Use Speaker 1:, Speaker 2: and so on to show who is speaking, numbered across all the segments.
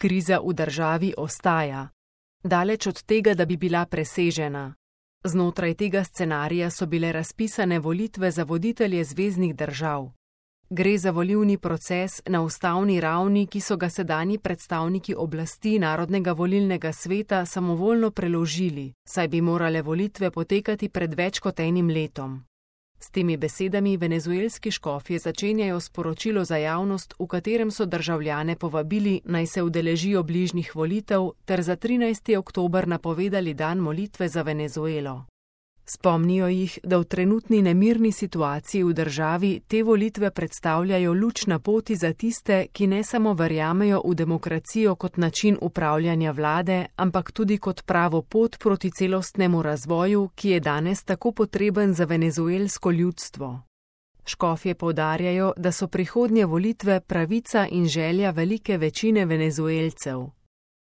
Speaker 1: Kriza v državi ostaja. Daleč od tega, da bi bila presežena. Znotraj tega scenarija so bile razpisane volitve za voditelje zveznih držav. Gre za volilni proces na ustavni ravni, ki so ga sedanji predstavniki oblasti Narodnega volilnega sveta samovoljno preložili, saj bi morale volitve potekati pred več kot enim letom. S temi besedami venezuelski škofje začenjajo sporočilo za javnost, v katerem so državljane povabili, naj se udeležijo bližnjih volitev, ter za 13. oktober napovedali dan molitve za Venezuelo. Spomnijo jih, da v trenutni nemirni situaciji v državi te volitve predstavljajo luč na poti za tiste, ki ne samo verjamejo v demokracijo kot način upravljanja vlade, ampak tudi kot pravo pot proti celostnemu razvoju, ki je danes tako potreben za venezuelsko ljudstvo. Škofje poudarjajo, da so prihodnje volitve pravica in želja velike večine Venezuelcev.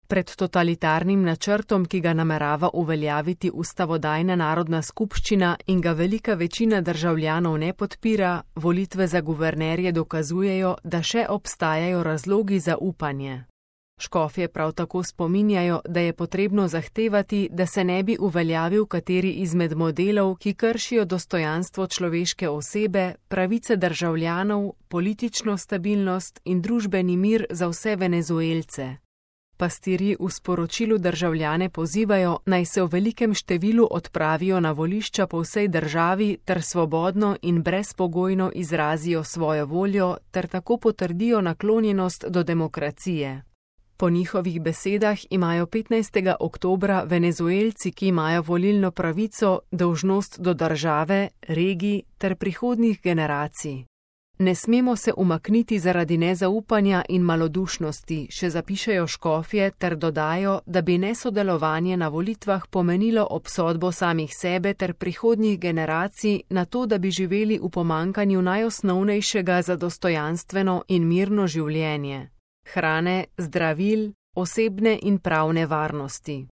Speaker 1: Pred totalitarnim načrtom, ki ga namerava uveljaviti ustavodajna narodna skupščina in ga velika večina državljanov ne podpira, volitve za guvernerje dokazujejo, da še obstajajo razlogi za upanje. Škofje prav tako spominjajo, da je potrebno zahtevati, da se ne bi uveljavil kateri izmed modelov, ki kršijo dostojanstvo človeške osebe, pravice državljanov, politično stabilnost in družbeni mir za vse Venezuelce. Pastirji v sporočilu državljane pozivajo, naj se v velikem številu odpravijo na volišča po vsej državi ter svobodno in brezpogojno izrazijo svojo voljo ter tako potrdijo naklonjenost do demokracije. Po njihovih besedah imajo 15. oktobra Venezuelci, ki imajo volilno pravico, dolžnost do države, regij ter prihodnjih generacij. Ne smemo se umakniti zaradi nezaupanja in malodušnosti, še zapišejo škofje ter dodajo, da bi nesodelovanje na volitvah pomenilo obsodbo samih sebe ter prihodnjih generacij na to, da bi živeli v pomanjkanju najosnovnejšega za dostojanstveno in mirno življenje: hrane, zdravil, osebne in pravne varnosti.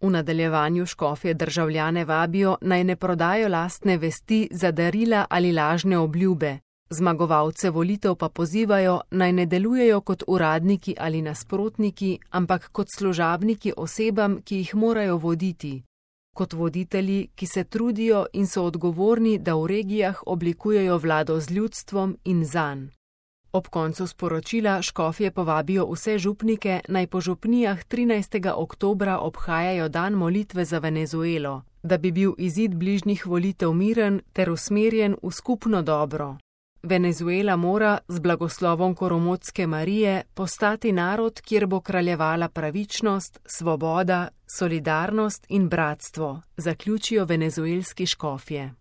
Speaker 1: V nadaljevanju škofje državljane vabijo, naj ne prodajo lastne vesti za darila ali lažne obljube. Zmagovalce volitev pa pozivajo, naj ne delujejo kot uradniki ali nasprotniki, ampak kot služabniki osebam, ki jih morajo voditi. Kot voditelji, ki se trudijo in so odgovorni, da v regijah oblikujejo vlado z ljudstvom in zanj. Ob koncu sporočila škofje povabijo vse župnike, naj po župnijah 13. oktobra obhajajo dan molitve za Venezuelo, da bi bil izid bližnjih volitev miren ter usmerjen v skupno dobro. Venezuela mora, z blagoslovom Koromotske Marije, postati narod, kjer bo kraljevala pravičnost, svoboda, solidarnost in bratstvo, zaključijo venezuelski škofje.